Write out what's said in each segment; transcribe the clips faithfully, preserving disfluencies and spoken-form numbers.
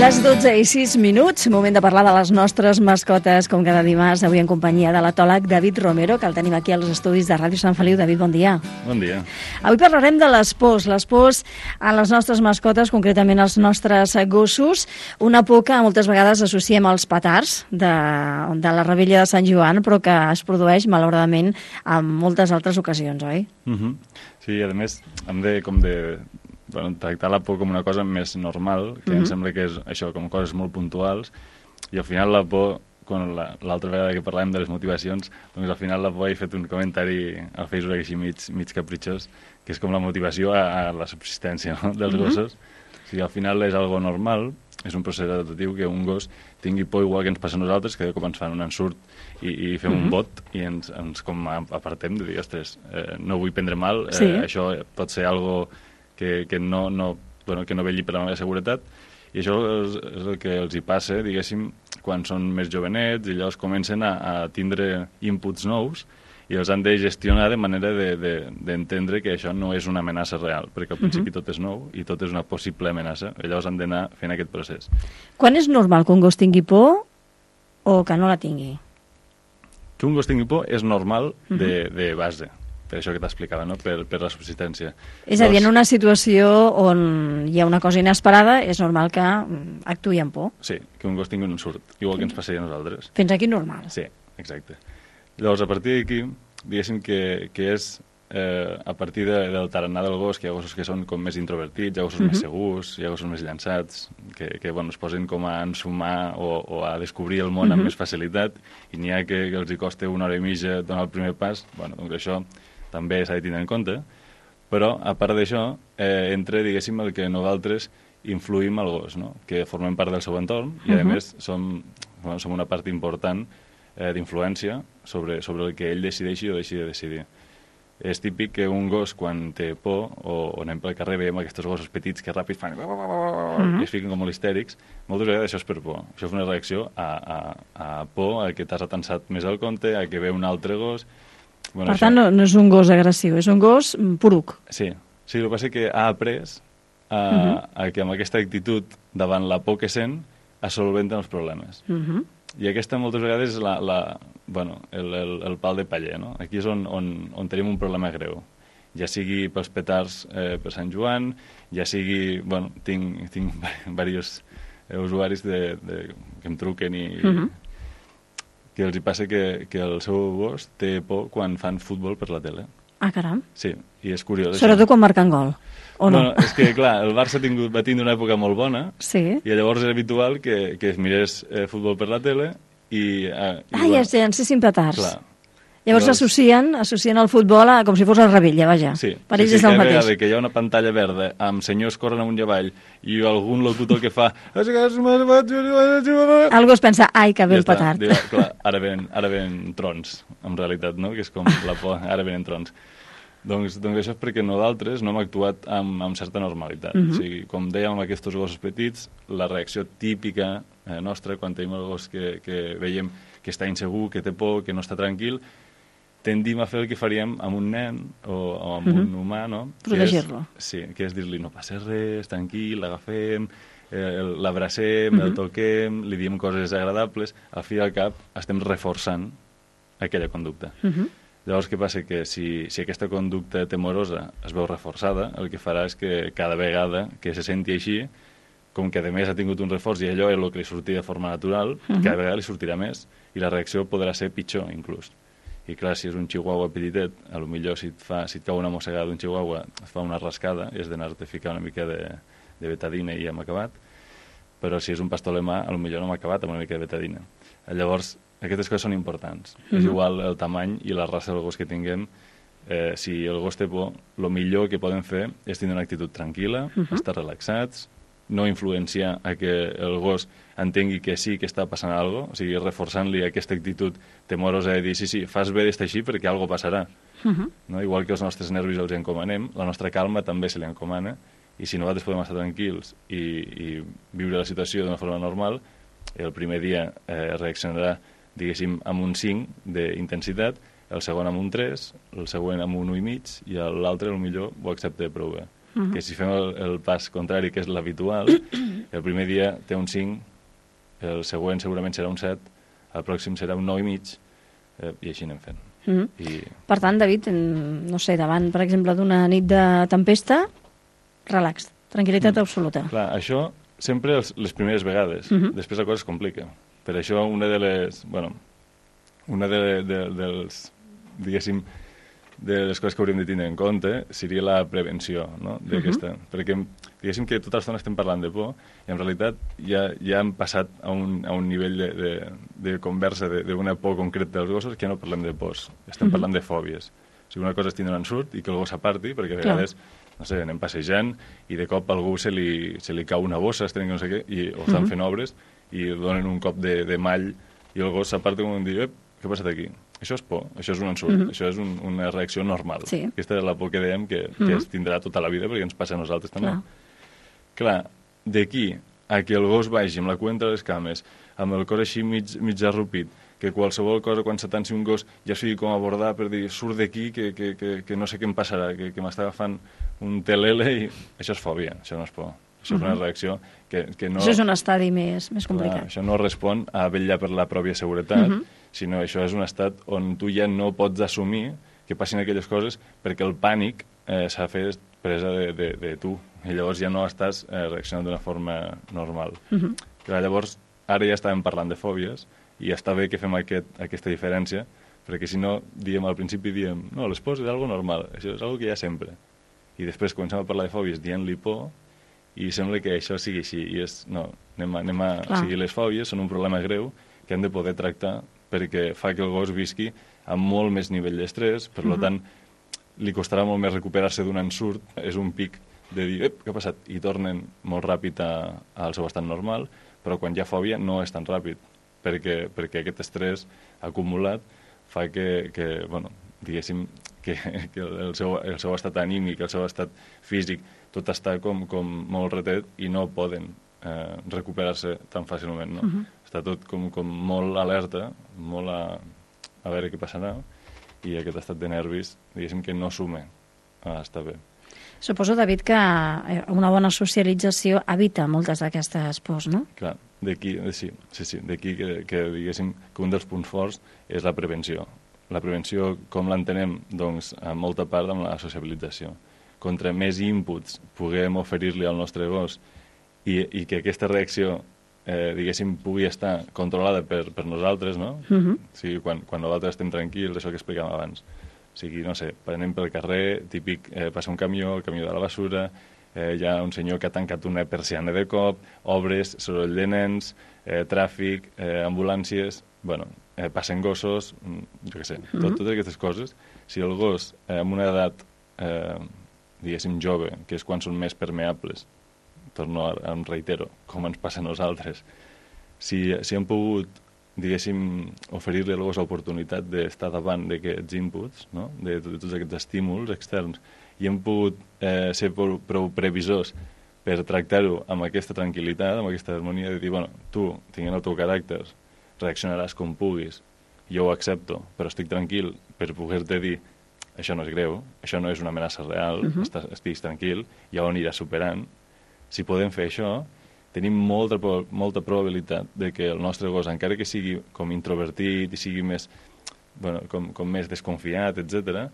Les dotze i sis minuts, moment de parlar de les nostres mascotes, com cada dimarts, avui en companyia de l'etòleg David Romero, que el tenim aquí als estudis de Ràdio Sant Feliu. David, bon dia. Bon dia. Avui parlarem de les pors, les pors a les nostres mascotes, concretament als nostres gossos, una por que moltes vegades associem als petards de, de la Revetlla de Sant Joan, però que es produeix, malauradament, en moltes altres ocasions, oi? Uh-huh. Sí, a més, hem de, com de... Bueno, tractar la por com una cosa més normal, que uh-huh. em sembla que és això, com coses molt puntuals, i al final la por, quan l'altra vegada que parlàvem de les motivacions, doncs al final la por, he fet un comentari al Facebook així mig, mig capritxós, que és com la motivació a, a la subsistència, no?, dels uh-huh. gossos. O sigui, al final és algo normal, és un procés adaptatiu que un gos tingui por igual que ens passa a nosaltres, que com ens fan un ensurt i, i fem uh-huh. un bot i ens, ens com apartem de dir, ostres, eh, no vull prendre mal, eh, sí. això pot ser algo que, que, no, no, bueno, que no vetlli per la meva seguretat, i això és, és el que els hi passa, diguéssim, quan són més jovenets, i llavors comencen a, a tindre inputs nous i els han de gestionar de manera d'entendre de, de, que això no és una amenaça real, perquè al principi uh-huh. tot és nou i tot és una possible amenaça, i llavors han d'anar fent aquest procés. Quan és normal que un gos tingui por o que no la tingui? Que un gos tingui por és normal uh-huh. de, de base, per això que t'explicava, no? per, per la subsistència. És a dir, en una situació on hi ha una cosa inesperada, és normal que actuï amb por. Sí, que un gos tingui un ensurt, igual que ens passaria a nosaltres. Fins aquí normal. Sí, exacte. Llavors, a partir d'aquí, diguéssim que, que és eh, a partir de, del tarannà del gos, que hi ha gossos que són com més introvertits, hi ha gossos uh-huh. més segurs, hi ha gossos més llançats, que, que bueno, es posen com a ensumar o, o a descobrir el món uh-huh. amb més facilitat, i n'hi ha que, que els hi costa una hora i mitja donar el primer pas. Bueno, doncs això també s'ha de tenir en compte, però a part d'això eh, entra, diguéssim, el que nosaltres influïm al gos, no? Que formem part del seu entorn i, a uh-huh. més, som, bueno, som una part important eh, d'influència sobre, sobre el que ell decideixi o deixi de decidir. És típic que un gos, quan té por, o, o anem pel carrer, veiem aquests gossos petits que ràpid fan uh-huh. i es fiquen com molt histèrics, moltes vegades això és per por. Això és una reacció a, a, a por, a que t'has atensat més al compte, a que ve un altre gos. Bueno, per això... tant, no, no és un gos agressiu, és un gos poruc. Sí, sí, el que passa és que ha après a, uh-huh. a que amb aquesta actitud davant la por que sent es solventen els problemes. Uh-huh. I aquesta moltes vegades és la, la, bueno, el, el, el pal de paller, no? Aquí és on, on, on tenim un problema greu. Ja sigui pels petards eh, per Sant Joan, ja sigui... Bueno, tinc, tinc diversos eh, usuaris de, de, que em truquen i... Uh-huh. que els hi passa que, que el seu gos té por quan fan futbol per la tele. Ah, caram. Sí, i és curiós. Sobretot quan marquen gol, o no? No, és que, clar, el Barça ha tingut, va tindre una època molt bona, sí. i llavors és habitual que, que es mirés eh, futbol per la tele i... Eh, i ah, bueno, ja sé, en ser petards. Clar. Llavors Llavors... associen, associen el futbol a, com si fos el Revilla, vaja. Sí, per sí, ells sí, és el cada mateix. vegada que hi ha una pantalla verda amb senyors corren amunt i avall i algun locutor que fa... Algú es pensa, ai, que bé ja el petard. Diu, clar, ara venen, ara venen trons, en realitat, no? Que és com la por, ara venen trons. Doncs, doncs això és perquè nosaltres no hem actuat amb, amb certa normalitat. Uh-huh. O sigui, com dèiem amb aquests gossos petits, la reacció típica eh, nostra quan tenim el gos que, que veiem que està insegur, que té por, que no està tranquil, tendim a fer el que faríem amb un nen o, o amb uh-huh. un humà, no? Protegir-lo. Sí, que és dir-li no passa res, tranquil, l'agafem, eh, l'abracem, uh-huh. el toquem, li diem coses agradables, al fi i al cap estem reforçant aquella conducta. Uh-huh. Llavors, què passa? Que si, si aquesta conducta temorosa es veu reforçada, el que farà és que cada vegada que se senti així, com que a més ha tingut un reforç i allò és el que li sortia de forma natural, uh-huh. cada vegada li sortirà més i la reacció podrà ser pitjor, inclús. I clar, si és un chihuahua petitet, a lo millor si et, fa, si et cau una mossegada d'un chihuahua, et fa una rascada i has d'anar-te a ficar una mica de, de betadina i hem acabat. Però si és un pastor alemà, a lo millor no hem acabat amb una mica de betadina. Llavors, aquestes coses són importants. Uh-huh. És igual el tamany i la raça del gos que tinguem. Eh, si el gos té por, el millor que podem fer és tenir una actitud tranquil·la, uh-huh. estar relaxats, no influenciar a que el gos entengui que sí que està passant alguna cosa, o sigui, reforçant-li aquesta actitud temorosa de dir, sí, sí, fas bé d'estar així perquè alguna cosa passarà. Uh-huh. No? Igual que els nostres nervis els encomanem, la nostra calma també se li encomana, i si nosaltres podem estar tranquils i, i viure la situació d'una forma normal, el primer dia eh, reaccionarà, diguéssim, amb un cinc d'intensitat, el segon amb un tres, el següent amb un un i mig, i l'altre, potser, ho accepta prou bé. Uh-huh. Que si fem el, el pas contrari, que és l'habitual, El primer dia té un cinc, el següent segurament serà un set, el pròxim serà un nou i mig, eh, i així anem fent. Mm -hmm. I... Per tant, David, no sé, davant, per exemple, d'una nit de tempesta, relax, tranquil·litat mm. absoluta. Clar, això sempre els, les primeres vegades. Mm -hmm. Després la cosa es complica. Per això una de les... Bueno, una de, de, dels... diguéssim, de les coses que hauríem de tenir en compte seria la prevenció, no?, d'aquesta. Uh -huh. Perquè, diguéssim que tota l'estona estem parlant de por i en realitat ja, ja hem passat a un, a un nivell de, de, de conversa d'una por concreta dels gossos que ja no parlem de pors, estem uh -huh. parlant de fòbies. O sigui, una cosa és tindre un ensurt i que el gos s'aparti, perquè a vegades, no sé, anem passejant i de cop a algú se li, se li cau una bossa, es trenca no sé què, i, o estan uh -huh. fent obres i donen un cop de, de mall i el gos s'aparta com un dir, ep, què ha passat aquí? Això és por, això és un ensurt, mm -hmm. això és un, una reacció normal. Sí. Aquesta és la por que dèiem que, que mm -hmm. es tindrà tota la vida perquè ens passa a nosaltres també. Clar, Clar d'aquí a que el gos vagi amb la cua entre les cames, amb el cor així mig, mig arrupit, que qualsevol cosa, quan s'atansi un gos, ja sigui com abordar per dir, surt d'aquí, que, que, que, que no sé què em passarà, que, que m'està agafant un telele, i això és fòbia, això no és por. Això és una reacció que, que no... Això és un estadi més, més complicat. Clar, això no respon a vetllar per la pròpia seguretat, uh -huh. sinó això és un estat on tu ja no pots assumir que passin aquelles coses perquè el pànic eh, s'ha fet presa de, de, de tu. I llavors ja no estàs eh, reaccionant d'una forma normal. Uh -huh. Clar, llavors, ara ja estàvem parlant de fòbies i està bé que fem aquest, aquesta diferència, perquè si no, diem al principi, diem, no, les pors és algo normal, això és algo que hi ha sempre. I després comencem a parlar de fòbies dient-li por, i sembla que això sigui així, i és, no, anem a, anem a o sigui, les fòbies són un problema greu que hem de poder tractar perquè fa que el gos visqui amb molt més nivell d'estrès, per uh -huh. tant, li costarà molt més recuperar-se d'un ensurt, és un pic de dir, ep, què ha passat? I tornen molt ràpid a, al seu estat normal, però quan hi ha fòbia no és tan ràpid, perquè, perquè aquest estrès acumulat fa que, que bueno, diguéssim, que, que el, seu, el seu estat anímic, el seu estat físic, tot està com, com molt retet i no poden eh, recuperar-se tan fàcilment, no? Uh -huh. Està tot com, com molt alerta, molt a, a veure què passarà, i aquest estat de nervis, diguéssim que no suma a estar bé. Suposo, David, que una bona socialització evita moltes d'aquestes pors, no? Clar, d'aquí, sí, sí, sí, d'aquí que, que diguéssim que un dels punts forts és la prevenció. La prevenció, com l'entenem? Doncs, en molta part amb la sociabilització. Contra més inputs puguem oferir-li al nostre gos i, i que aquesta reacció, eh, diguéssim, pugui estar controlada per, per nosaltres, no? Uh -huh. O sigui, quan, quan nosaltres estem tranquils, això que explicàvem abans. O sigui, no sé, anem pel carrer, típic, eh, passa un camió, el camió de la basura, eh, hi ha un senyor que ha tancat una persiana de cop, obres, soroll de nens, eh, tràfic, eh, ambulàncies... Bueno, eh, passen gossos, jo què sé, tot, uh -huh. totes aquestes coses. Si el gos, eh, amb una edat... Eh, diguéssim, jove, que és quan són més permeables, torno a, em reitero, com ens passa a nosaltres, si, si hem pogut, diguéssim, oferir-li al gos l'oportunitat d'estar davant d'aquests inputs, no? de, de tots aquests estímuls externs, i hem pogut eh, ser prou, prou previsors per tractar-ho amb aquesta tranquil·litat, amb aquesta harmonia, de dir, bueno, tu, tinguent el teu caràcter, reaccionaràs com puguis, jo ho accepto, però estic tranquil per poder-te dir això no és greu, això no és una amenaça real, uh -huh. estàs, estiguis tranquil, ja ho aniràs superant. Si podem fer això, tenim molta, molta probabilitat de que el nostre gos, encara que sigui com introvertit i sigui més, bueno, com, com més desconfiat, etcètera,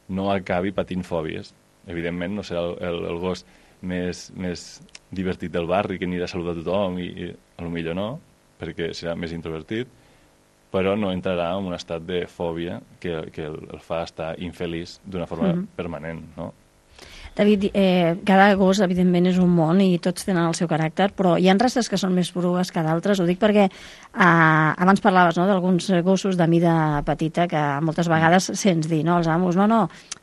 no acabi patint fòbies. Evidentment, no serà el, el, el gos més, més divertit del barri, que anirà a saludar a tothom, i, i potser no, perquè serà més introvertit, però no entrarà en un estat de fòbia que, que el, el fa estar infeliç d'una forma mm-hmm. permanent, no? David, eh, cada gos, evidentment, és un món i tots tenen el seu caràcter, però hi ha races que són més prugues que d'altres. Ho dic perquè eh, abans parlaves, no?, d'alguns gossos de mida petita que moltes vegades sents dir, no?, els amos, no, no,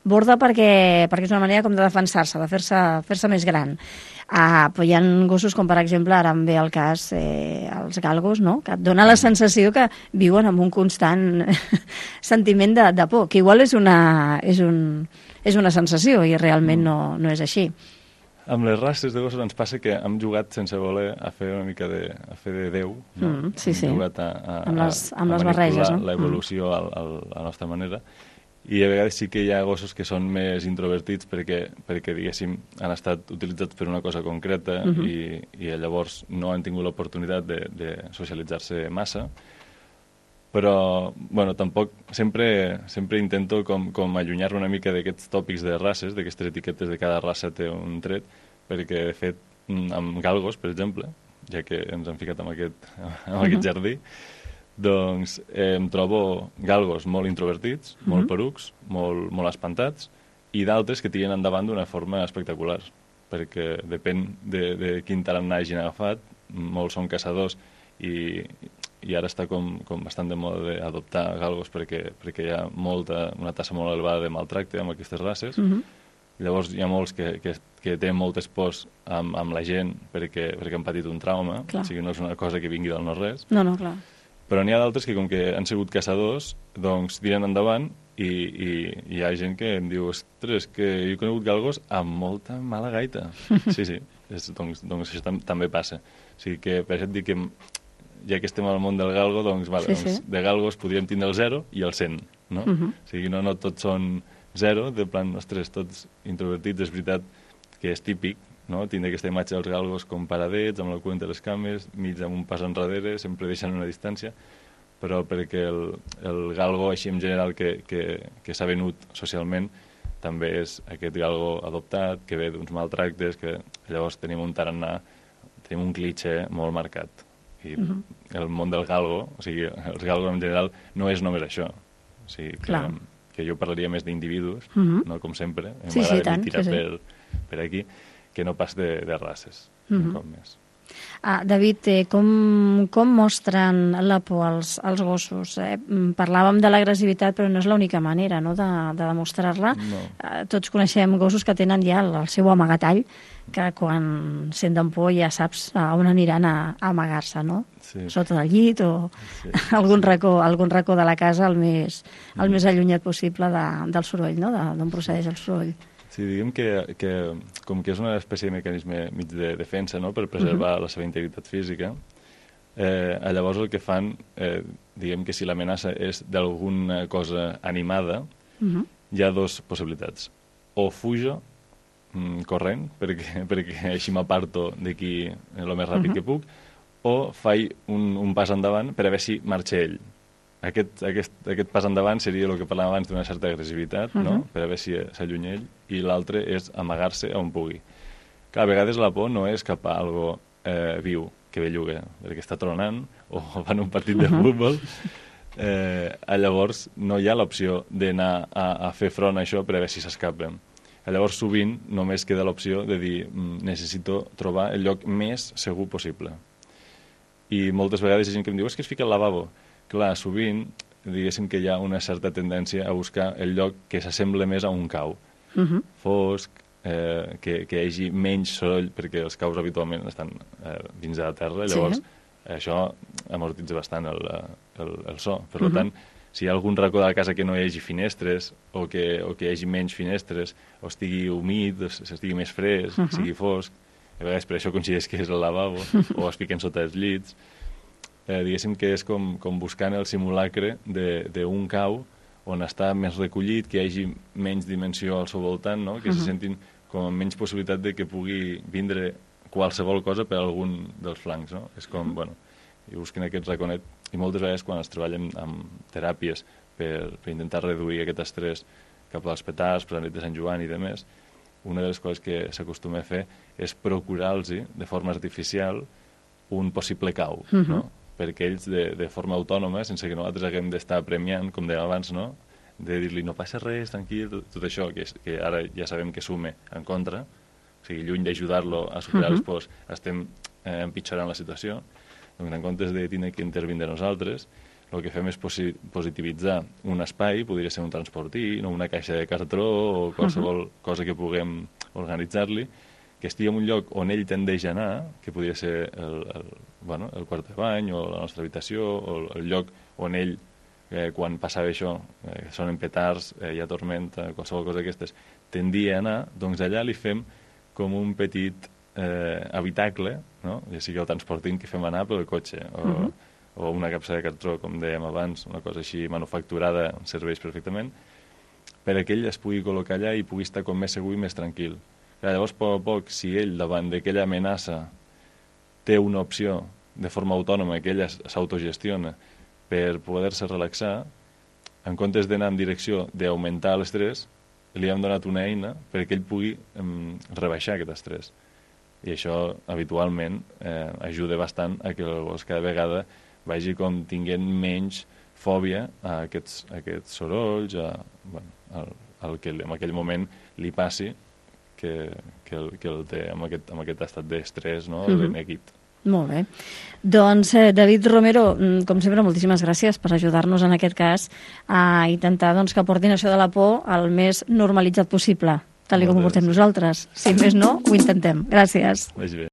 borda perquè, perquè és una manera com de defensar-se, de fer-se fer-se més gran. Ah, però hi ha gossos com, per exemple, ara em ve el cas, eh, els galgos, no?, que et dona la sensació que viuen amb un constant sentiment de, de por, que igual és una, és, un, és una sensació i realment no, no és així. Amb les races de gossos ens passa que hem jugat sense voler a fer una mica de, a fer de Déu, no? Mm, sí, sí. Hem jugat a, a, amb les, amb a les barreges, no? l'evolució mm. a, a la nostra manera, I a vegades sí que hi ha gossos que són més introvertits perquè, perquè diguéssim, han estat utilitzats per una cosa concreta uh-huh. i, i llavors no han tingut l'oportunitat de, de socialitzar-se massa. Però, bueno, tampoc sempre, sempre intento com, com allunyar-me una mica d'aquests tòpics de races, d'aquestes etiquetes de cada raça té un tret, perquè, de fet, amb galgos, per exemple, ja que ens hem ficat amb aquest, amb uh-huh. aquest jardí, doncs eh, em trobo galgos molt introvertits, uh-huh. molt perucs, molt, molt espantats, i d'altres que tiren endavant d'una forma espectacular, perquè depèn de, de quin tarannà hagin agafat, molts són caçadors i... i ara està com, com bastant de moda d'adoptar galgos perquè, perquè hi ha molta, una tassa molt elevada de maltracte amb aquestes races. Uh-huh. Llavors hi ha molts que, que, que tenen moltes pors amb, amb la gent perquè, perquè han patit un trauma, clar. O sigui, no és una cosa que vingui del no-res. No, no, clar. Però n'hi ha d'altres que, com que han sigut caçadors, doncs tiren endavant i, i, i hi ha gent que em diu, ostres, que jo he conegut galgos amb molta mala gaita. Sí, sí, és, doncs, doncs això tam també passa. O sigui que, per això et dic que ja que estem al món del galgo, doncs, vale, sí, doncs sí. de galgos podríem tindre el zero i el cent, no? Uh-huh. O sigui, no, no tots són zero, de plan, ostres, tots introvertits, és veritat que és típic, no? Tindre aquesta imatge dels galgos com paradets, amb la cua entre les cames, mig amb un pas enrere, sempre deixant una distància, però perquè el, el galgo, així en general, que, que, que s'ha venut socialment, també és aquest galgo adoptat, que ve d'uns maltractes, que llavors tenim un tarannà, tenim un clitxé molt marcat. I uh-huh. el món del galgo, o sigui, els galgos en general no és només això. O sigui, que, que jo parlaria més d'individus, uh-huh. no com sempre. Sí, sí, tant. Tirar Sí, sí. per, per aquí, que no pas de, de races, uh-huh. un cop més. Ah, David, eh, com, com mostren la por als, als gossos? Eh? Parlàvem de l'agressivitat, però no és l'única manera, no?, de, de demostrar-la. No. Eh, tots coneixem gossos que tenen ja el, el seu amagatall, que quan senten por ja saps a on aniran a, a amagar-se, no? Sí. Sota del llit o sí, algun, sí. Racó, algun racó de la casa el més, el mm. més allunyat possible de, del soroll, no?, d'on procedeix el soroll. Sí, diguem que, que com que és una espècie de mecanisme mig de defensa, no?, per preservar uh-huh. la seva integritat física, eh, llavors el que fan, eh, diguem que si l'amenaça és d'alguna cosa animada, uh-huh. hi ha dues possibilitats. O fujo mm, corrent, perquè, perquè així m'aparto d'aquí el més ràpid uh-huh. que puc, o faig un, un pas endavant per a veure si marxa ell. Aquest, aquest, aquest pas endavant seria el que parlàvem abans d'una certa agressivitat, uh-huh. no?, per a veure si s'allunya ell, i l'altre és amagar-se on pugui. Clar, a vegades la por no és cap a algo eh, viu, que belluga, perquè està tronant, o van un partit de uh-huh. futbol, eh, llavors no hi ha l'opció d'anar a, a fer front a això per a veure si s'escapen. Llavors sovint només queda l'opció de dir necessito trobar el lloc més segur possible. I moltes vegades hi ha gent que em diu és que es fica al lavabo. Clar, sovint, diguéssim que hi ha una certa tendència a buscar el lloc que s'assembla més a un cau. Uh-huh. Fosc, eh, que, que hi hagi menys soroll, perquè els caus habitualment estan eh, dins de la terra, llavors sí. això amortitza bastant el, el, el so. Per uh-huh. tant, si hi ha algun racó de la casa que no hi hagi finestres, o que, o que hi hagi menys finestres, o estigui humit, o estigui més fresc, uh-huh. sigui fosc, a vegades per això coincideix que és el lavabo, o es fiquen sota els llits, Eh, diguéssim que és com, com buscant el simulacre d'un cau on està més recollit, que hi hagi menys dimensió al seu voltant, no? Que uh-huh. se sentin com amb menys possibilitat de que pugui vindre qualsevol cosa per algun dels flancs, no? És com, uh-huh. bueno, i busquen aquest raconet, i moltes vegades quan es treballen amb teràpies per, per intentar reduir aquest estrès cap als petards, per la nit de Sant Joan i demés, una de les coses que s'acostuma a fer és procurar-los de forma artificial un possible cau, uh-huh. no? Perquè ells, de, de forma autònoma, sense que nosaltres haguem d'estar premiant, com dèiem abans, no?, de dir-li no passa res, tranquil, tot, tot això, que, és, que ara ja sabem que sume en contra, o sigui, lluny d'ajudar-lo a superar uh-huh. els pors, estem eh, empitjorant la situació. Doncs en comptes de tenir que intervindre nosaltres, el que fem és posi positivitzar un espai, podria ser un transportí, no? Una caixa de cartró o qualsevol uh-huh. cosa que puguem organitzar-li, que estigui en un lloc on ell tendeix a anar, que podria ser el, el, bueno, el quart de bany o la nostra habitació, o el lloc on ell, eh, quan passava això, eh, sonen petards, eh, hi ha tormenta, qualsevol cosa d'aquestes, tendia a anar, doncs allà li fem com un petit eh, habitacle, no?, ja sigui el transportint que fem anar pel cotxe, o, uh-huh. o una capsa de cartró, com dèiem abans, una cosa així manufacturada, serveix perfectament, perquè ell es pugui col·locar allà i pugui estar com més segur i més tranquil. Llavors, a poc a poc, si ell, davant d'aquella amenaça, té una opció de forma autònoma, que ella s'autogestiona per poder-se relaxar, en comptes d'anar en direcció d'augmentar l'estrès, li hem donat una eina perquè ell pugui um, rebaixar aquest estrès. I això, habitualment, eh, ajuda bastant a que el gos cada vegada vagi com tinguent menys fòbia a aquests, a aquests sorolls, a, bueno, al, al que en aquell moment li passi que, que, el, que el té amb aquest, amb aquest estat d'estrès, no? Mm-hmm. L'enequit. Molt bé. Doncs, eh, David Romero, com sempre, moltíssimes gràcies per ajudar-nos en aquest cas a intentar doncs, que portin això de la por al més normalitzat possible, tal com ho portem nosaltres. Si més no, ho intentem. Gràcies. Vagi bé.